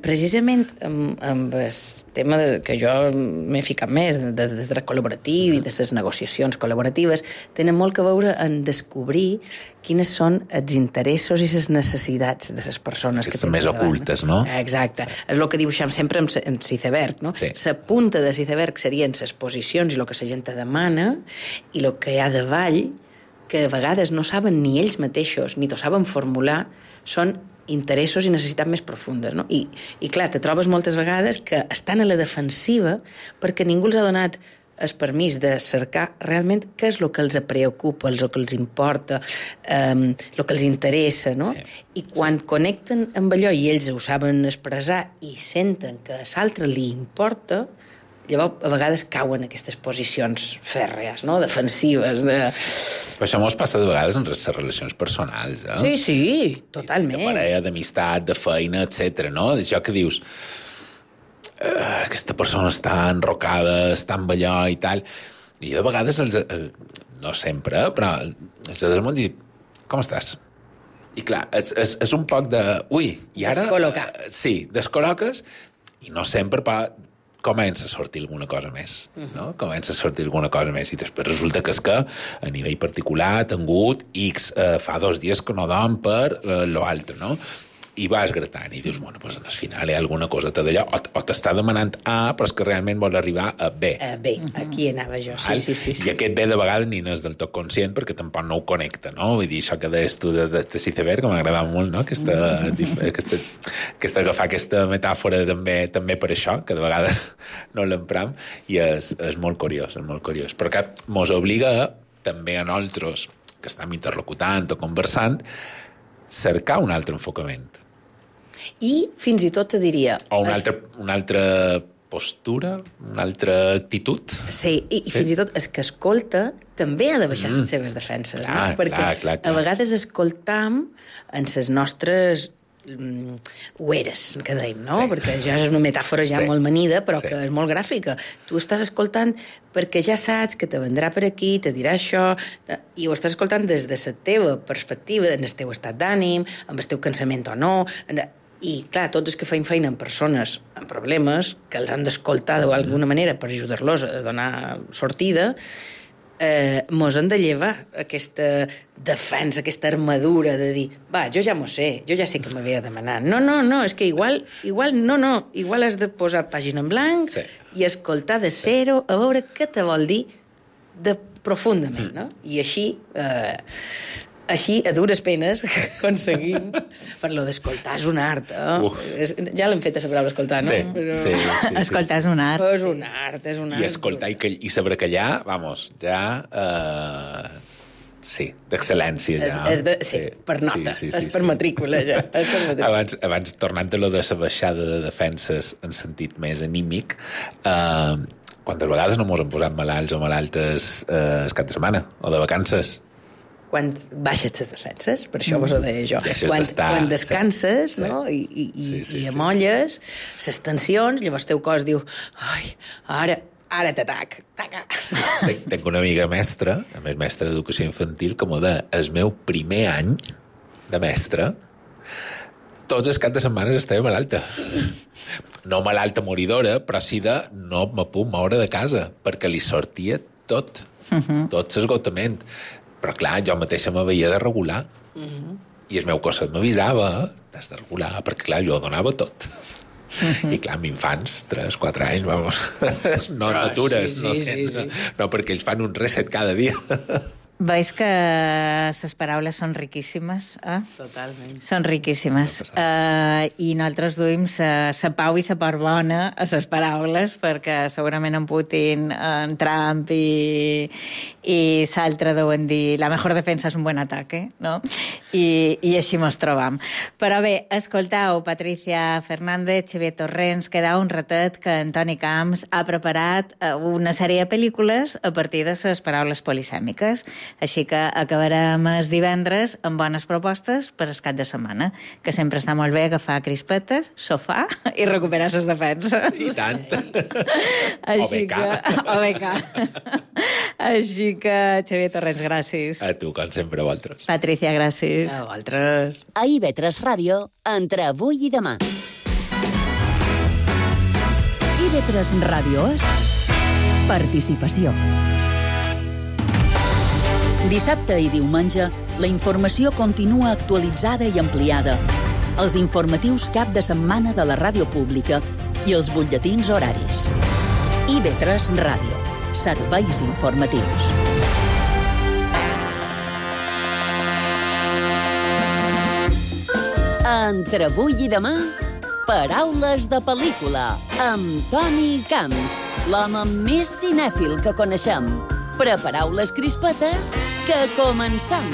Precisament amb el tema que jo m'he ficat més, de dret col·laboratiu i de les negociacions col·laboratives, tenen molt que veure en descobrir quines són els interessos i les necessitats de les persones que estan més ocultes, no? Exacte. Sí. És el que dibuixem sempre en l'iceberg, no? Sí. La punta de l'iceberg serien les posicions i el que la gent demana, i el que hi ha davall, que a vegades no saben ni ells mateixos, ni t'ho saben formular, són interessos i necessitats més profundes, no? I clar, te trobes moltes vegades que estan a la defensiva perquè ningú els ha donat el permís de cercar realment què és el que els preocupa, el que els importa, el que els interessa, no? Sí. I quan connecten amb allò i ells ho saben expressar i senten que a l'altre li importa, llavors a vegades cauen aquestes posicions fèrrees, no? Defensives. Però això mos passa de vegades en les relacions personals, eh? Sí, totalment. De parella, d'amistat, de feina, etc. no? Això que dius, aquesta persona està enrocada, està amb allò i tal, i de vegades, no sempre, però els altres m'han dit, com estàs? I clar, és un poc de... Ui, i ara... Descol·locar. Sí, descol·loques, i no sempre, però comença a sortir alguna cosa més, no? Comença a sortir alguna cosa més, i després resulta que és que a nivell particular ha tingut X, fa 2 dies que no dorm per l'altre, no? I vas gratant i dius, bueno, pues al final hi ha alguna cosa d'allò, o t'està demanant A, però és que realment vol arribar a B. B, aquí anava jo, sí. I aquest B de vegades ni n'és del tot conscient perquè tampoc no ho connecta, no? Vull dir, això que deies tu de l'iceberg, que m'agradava molt, no? Aquesta agafar aquesta metàfora també per això, que de vegades no l'empram, i és molt curiós, però que mos obliga també a nosaltres, que estem interlocutant o conversant, cercar un altre enfocament. I fins i tot te diria... O una altra postura, una altra actitud. Sí, i fins i tot el que escolta també ha de baixar les seves defenses, no? Perquè a vegades escoltam en les nostres ueres, que deim, no? Sí. Perquè ja és una metàfora ja molt manida, però que és molt gràfica. Tu estàs escoltant perquè ja saps que te vendrà per aquí, te dirà això, i ho estàs escoltant des de la teva perspectiva, en el teu estat d'ànim, amb el teu cansament o no. I, clar, tots els que feim feina amb persones amb problemes, que els han d'escoltar d'alguna manera per ajudar-los a donar sortida, mos han de llevar aquesta defensa, aquesta armadura de dir, va, jo ja m'ho sé, jo ja sé que m'havia de demanar. No, és que igual has de posar pàgina en blanc i escoltar de zero a veure què te vol dir profundament, no? I així, a dures penes, aconseguim... Per lo d'escoltar és un art, ja l'hem fet a la paraula escoltar, no? Sí. Escoltar és un art. És un art. I escoltar i saber callar, vamos, ja... Sí, d'excel·lència, ja. Sí, per nota, és per matrícula, ja. Abans, tornant a lo de la baixada de defenses en sentit més anímic, quantes vegades no mos hem posat malalts o malaltes el cap de setmana, o de vacances? Quan baixes les defenses, per això vos ho deia jo. Quan descanses, no? I amolles les tensions, llavors el teu cos diu, ai, ara t'atac. Tenc una amiga mestra, a més mestra d'educació infantil, que m'ho deia, el meu primer any de mestra, tots els caps de setmana estava malalta. No malalta moridora, però sí de no me puc moure de casa, perquè li sortia tot l'esgotament. Però clar, jo mateixa m'havia de regular. I el meu cos m'avisava, t'has de regular, perquè clar, jo donava tot. I clar, amb infants, 3-4 anys, vamos, no atures, no, perquè ells fan un reset cada dia. Veus que les paraules són riquíssimes, eh? Totalment. Són riquíssimes. I nosaltres duim la pau i la part bona a les paraules, perquè segurament en Putin, en Trump i l'altre deuen dir la mejor defensa és un buen ataque, no? I així mos trobam. Però bé, escoltau, Patricia Fernández, Xavier Torrents, queda un ratet que Antoni Camps ha preparat una sèrie de pel·lícules a partir de les paraules polisèmiques. Així que acabarem el divendres amb bones propostes per el cap de setmana, que sempre està molt bé agafar crispetes, sofà i recuperar les defenses. I tant. O BK. Així que, Xavier Torrents, gràcies. A tu, com sempre, a vosaltres. Patricia, gràcies. A vosaltres. A IB3 Ràdio, entre avui i demà. IB3 Ràdio és participació. Dissabte i diumenge, la informació continua actualitzada i ampliada. Els informatius cap de setmana de la ràdio pública i els butlletins horaris. IB3 Ràdio. Serveis informatius. Entre avui i demà, paraules de pel·lícula, amb Toni Camps, l'home més cinèfil que coneixem. Prepareu les crispetes, que comencem!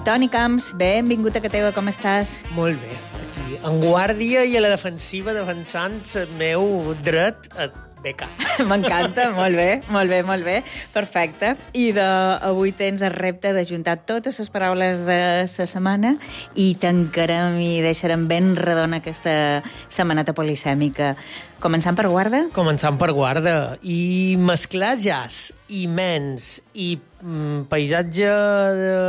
Toni Camps, benvingut a Cateva, com estàs? Molt bé, aquí, en guàrdia i a la defensiva, defensant el meu dret a beca. M'encanta, molt bé, perfecte. I avui tens el repte d'ajuntar totes les paraules de la setmana i tancarem i deixarem ben redona aquesta setmaneta polisèmica. Començant per guarda? Començant per guarda. I mesclar jazz i mens i paisatge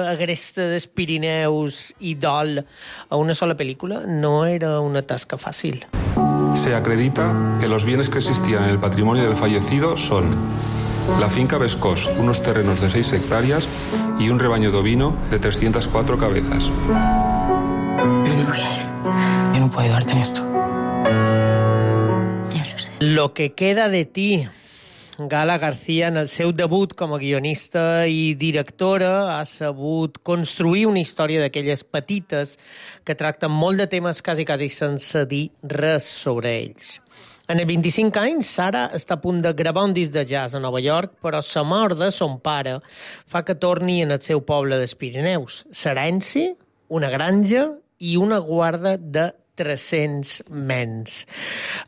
agreste dels Pirineus i dol a una sola pel·lícula no era una tasca fàcil. Se acredita que los bienes que existían en el patrimonio del fallecido son la finca Vescós, unos terrenos de 6 hectáreas y un rebaño de ovino de 304 cabezas. Yo no puedo ayudarte en esto. Lo que queda de ti. Gala García, en el seu debut com a guionista i directora, ha sabut construir una història d'aquelles petites que tracten molt de temes quasi sense dir res sobre ells. En els 25 anys, Sara està a punt de gravar un disc de jazz a Nova York, però la mort de son pare fa que torni en el seu poble dels Pirineus. L'herència, una granja i una guarda de 300 mens.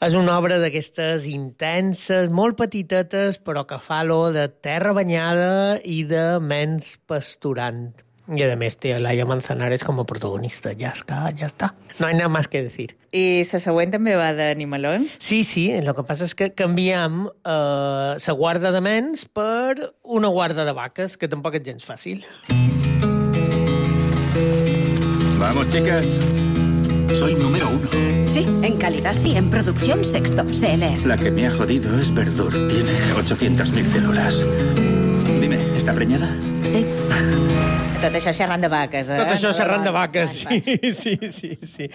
És una obra d'aquestes intenses, molt petitetes, però que fa l'olor de terra banyada i de mens pasturant. I a més té Laia Manzanares com a protagonista. Ja està. No hay nada más que decir. I la següent també va d'animalons? Sí, el que passa és que canviem la guarda de mens per una guarda de vaques, que tampoc és gens fàcil. Vamos, chicas. Soy número 1. Sí, en calidad sí, en producción sexto, CLR. La que me ha jodido es Verdur. Tiene 800.000 células. Dime, ¿está preñada? Sí. Tot això xerrant de vaques, Tot això xerrant de vaques, sí.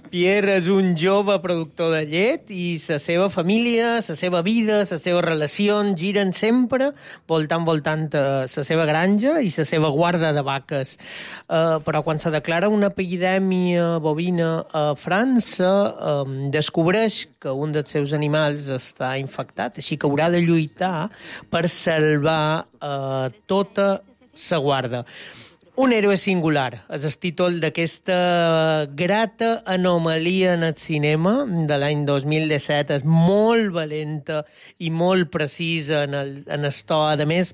Pierre és un jove productor de llet i la seva família, la seva vida, les seves relacions giren sempre voltant la seva granja i la seva guarda de vaques. Però quan se declara una epidèmia bovina a França, descobreix que un dels seus animals està infectat, així que haurà de lluitar per salvar tota la guarda. Un héroe singular és el títol d'aquesta grata anomalia en el cinema de l'any 2017. És molt valenta i molt precisa en el to. A més,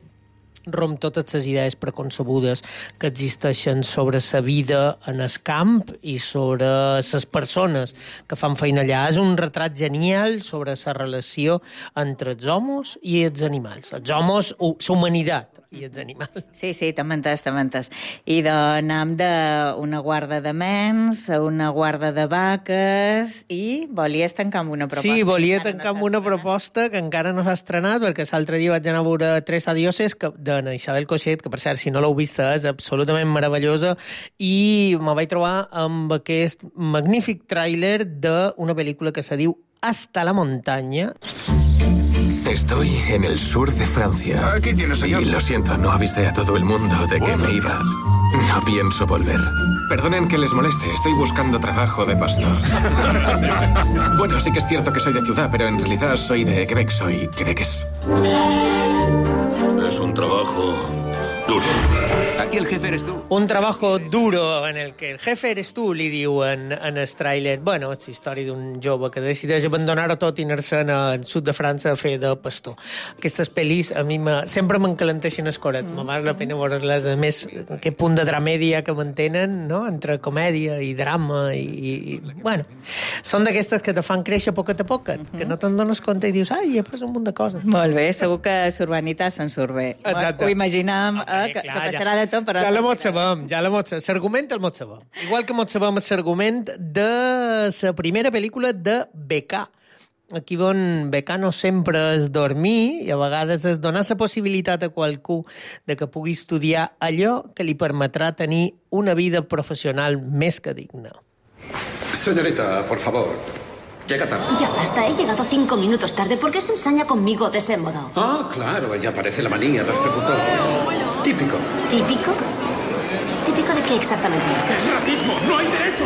romp totes les idees preconcebudes que existeixen sobre la vida en el camp i sobre les persones que fan feina allà. És un retrat genial sobre la relació entre els homes i els animals. Els homes, la humanitat i els animals. Sí, t'han mentes. I d'anem d'una guarda de mens a una guarda de vaques i volies tancar amb una proposta. Sí, volia tancar amb una proposta que encara no s'ha estrenat, perquè l'altre dia vaig anar a veure Tres adioses de Isabel Coixet, que per cert, si no l'heu vista, és absolutament meravellosa, i me vaig trobar amb aquest magnífic tràiler d'una pel·lícula que se diu Hasta la montaña. Estoy en el sur de Francia. Aquí tienes, señor. Y lo siento, no avisé a todo el mundo de que me iba. No pienso volver. Perdonen que les moleste, estoy buscando trabajo de pastor. Bueno, sí que es cierto que soy de ciudad, pero en realidad soy de Quebec, soy quebequés. Es un trabajo duro. Aquí el jefe eres tú. Un trabajo duro en el que el jefe eres tu, li diuen en el tràiler. Bueno, és la història d'un jove que decideix abandonar-ho tot i anar-se'n al sud de França a fer de pastor. Aquestes pel·lis a mi sempre m'encalenteixen el coret. Me val la pena veure-les. A més, aquest punt de dramèdia que mantenen, no?, entre comèdia i drama i bueno, són d'aquestes que te fan créixer poquet a poquet, que no te'n dones compte i dius, ai, he après un munt de coses. Molt bé, segur que Surbanita se'n surt bé. Exacte. Ho imaginem, que passarà de tot, però... Ja la mot sabem. L'argument el mot sabem. Igual que mot sabem l'argument de la primera pel·lícula de Becà. Aquí on becar no sempre és dormir i a vegades és donar la possibilitat a qualcú de que pugui estudiar allò que li permetrà tenir una vida professional més que digna. Señorita, por favor, llega tarde. Ya basta, he llegado 5 minutos tarde. ¿Por qué se ensaña conmigo de ese modo? Ah, claro, ella parece la manía de ser botón. Típico. ¿Típico? ¿Típico de qué exactamente? ¡Es racismo! ¡No hay derecho!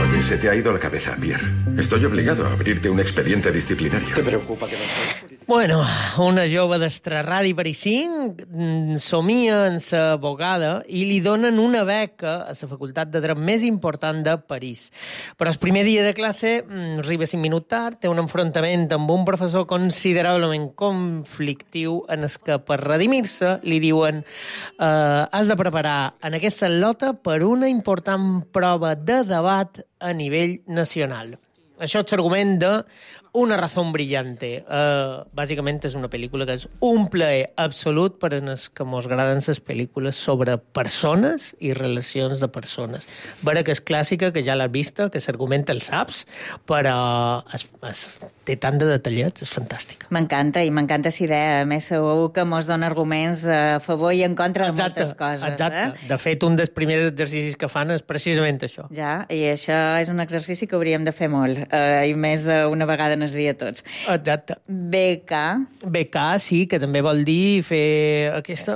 Oye, se te ha ido la cabeza, Pierre. Estoy obligado a abrirte un expediente disciplinario. ¿Te preocupa que no sé? Bueno, una jove d'Estraradi Parisín somia en ser abogada i li donen una beca a la facultat de dret més important de París. Però el primer dia de classe arriba 5 minuts tard, té un enfrontament amb un professor considerablement conflictiu en el que per redimir-se li diuen has de preparar en aquesta lota per una important prova de debat a nivell nacional. Això és l'argument de Una razón brillante. Bàsicament és una pel·lícula que és un plaer absolut per a els que mos agraden les pel·lícules sobre persones i relacions de persones. Vera que és clàssica, que ja l'has vista, que s'argumenta el saps, però té tant de detallets, és fantàstic. M'encanta, i m'encanta la idea. A més, segur que mos dona arguments a favor i en contra de moltes coses. Exacte. De fet, un dels primers exercicis que fan és precisament això. Ja, i això és un exercici que hauríem de fer molt, i més d'una vegada en el dia tots. Exacte. Becar, sí, que també vol dir fer aquesta...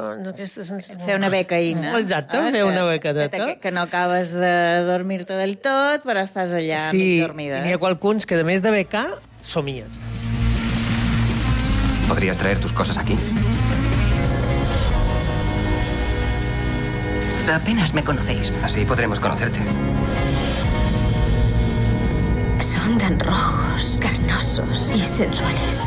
Fer una becaïna. Exacte, fer una becadeta. Que no acabes de dormir-te del tot, però estàs allà mig dormida. Sí, n'hi ha qualcuns que, a més de becar, somien. ¿Podrías traer tus cosas aquí? Apenas me conocéis. Así podremos conocerte. Son tan rojos, carnosos y sensuales.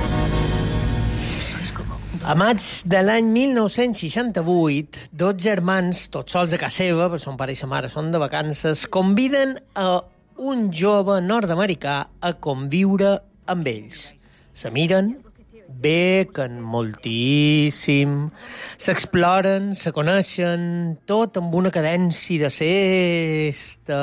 A maig de l'any 1968, dos germans, tots sols a casa seva, perquè son pare i sa mare són de vacances, conviden a un jove nord-americà a conviure amb ells. Se miren, bequen moltíssim, s'exploren, se coneixen, tot amb una cadència de sesta.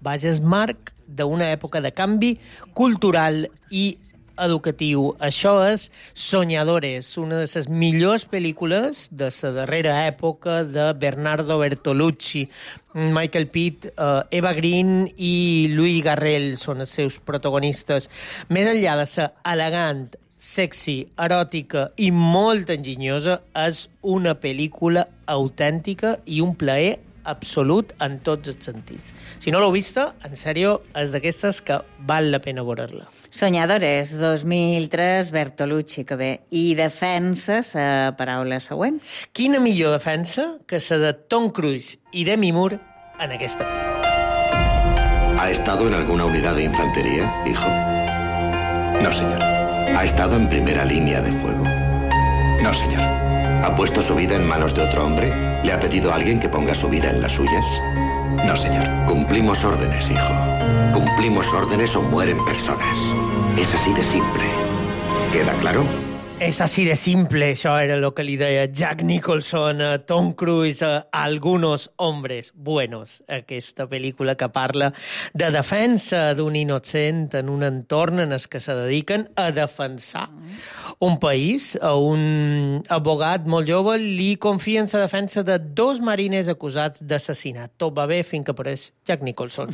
Vaja, és marc d'una època de canvi cultural i educatiu. Això és Soñadores, una de les millors pel·lícules de la darrera època de Bernardo Bertolucci. Michael Pitt, Eva Green i Louis Garrel són els seus protagonistes. Més enllà de ser elegant, sexy, eròtica i molt enginyosa, és una pel·lícula autèntica i un plaer absolut en tots els sentits. Si no l'heu vista, en sèrio, és d'aquestes que val la pena veure-la. Soñadores, 2003, Bertolucci, que bé. I defensa la paraula següent. Quina millor defensa que la de Tom Cruise i Demi Moore en aquesta. ¿Ha estado en alguna unidad de infantería, hijo? No, señor. ¿Ha estado en primera línea de fuego? No, señor. ¿Ha puesto su vida en manos de otro hombre? ¿Le ha pedido a alguien que ponga su vida en las suyas? No, señor. Cumplimos órdenes, hijo. Cumplimos órdenes o mueren personas. Es así de simple. ¿Queda claro? És així de simple, això era el que li deia Jack Nicholson a Tom Cruise a Algunos hombres buenos, aquesta pel·lícula que parla de defensa d'un innocent en un entorn en el que se dediquen a defensar un país. A un abogat molt jove li confia en la defensa de 2 mariners acusats d'assassinat. Tot va bé fins que apareix Jack Nicholson.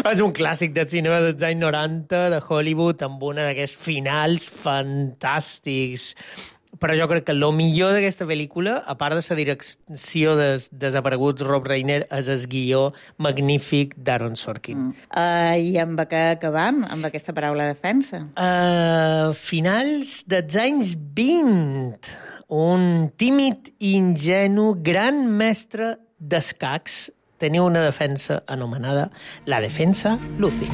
És un clàssic del cinema dels anys 90 de Hollywood amb una d'aquests finals fantàstics. Però jo crec que el millor d'aquesta pel·lícula, a part de la direcció dels desapareguts Rob Reiner, és el guió magnífic d'Aaron Sorkin. I amb què acabam, amb aquesta paraula defensa? Finals dels anys 20. un tímid i ingenu gran mestre d'escacs, tenia una defensa anomenada la defensa Luzin.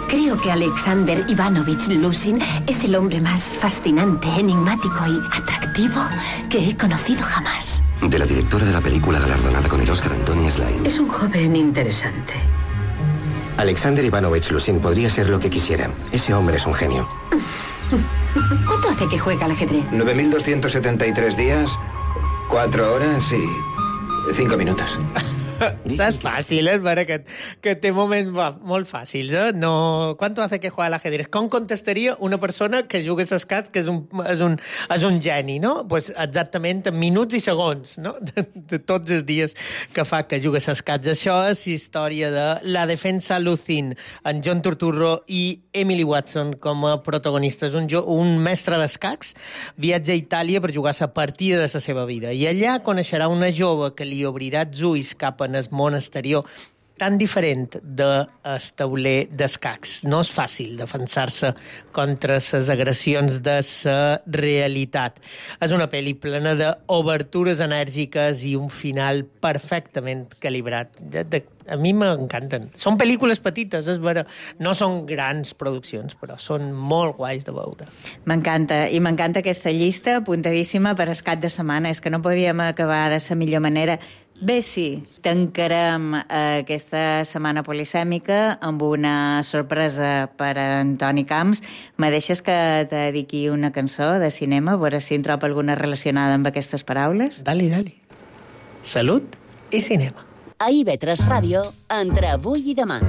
Creo que Alexander Ivanovich Luzin es el hombre más fascinante, enigmático y atractivo que he conocido jamás. De la directora de la película galardonada con el Oscar, Antonia Slime. Es un joven interesante. Alexander Ivanovich Luzin podría ser lo que quisiera. Ese hombre es un genio. ¿Cuánto hace que juega al ajedrez? 9.273 días, 4 horas y 5 minutos. És fàcil, Vera, que té moments molt fàcils, eh? No... ¿Cuánto hace que juega al ajedrez? Com contestaria una persona que juga a escacs que és un geni, no? Pues exactament en minuts i segons, no? De tots els dies que fa que juga a escacs. Això és història de La defensa Luzin, en John Turturro i Emily Watson com a protagonistes. Un mestre d'escacs viatja a Itàlia per jugar la partida de la seva vida i allà coneixerà una jove que li obrirà els ulls cap en el món exterior tan diferent del tauler d'escacs. No és fàcil defensar-se contra les agressions de la realitat. És una pel·li plena d'obertures enèrgiques i un final perfectament calibrat. A mi m'encanten. Són pel·lícules petites, és vera. No són grans produccions, però són molt guais de veure. M'encanta, i m'encanta aquesta llista apuntadíssima per el cap de setmana. És que no podíem acabar de la millor manera. Bé, sí, tancarem aquesta setmana polisèmica amb una sorpresa per a Antoni Camps. Me deixes que te dediqui una cançó de cinema, a veure si en trobo alguna relacionada amb aquestes paraules? Dali. Salut i cinema. A IB3 Ràdio, entre avui i demà.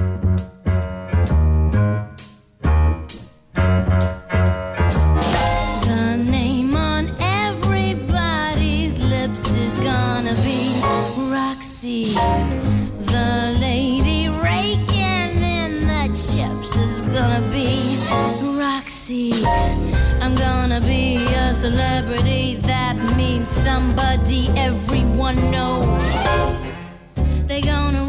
The lady raking in the chips is gonna be Roxy. I'm gonna be a celebrity. That means somebody everyone knows. They're gonna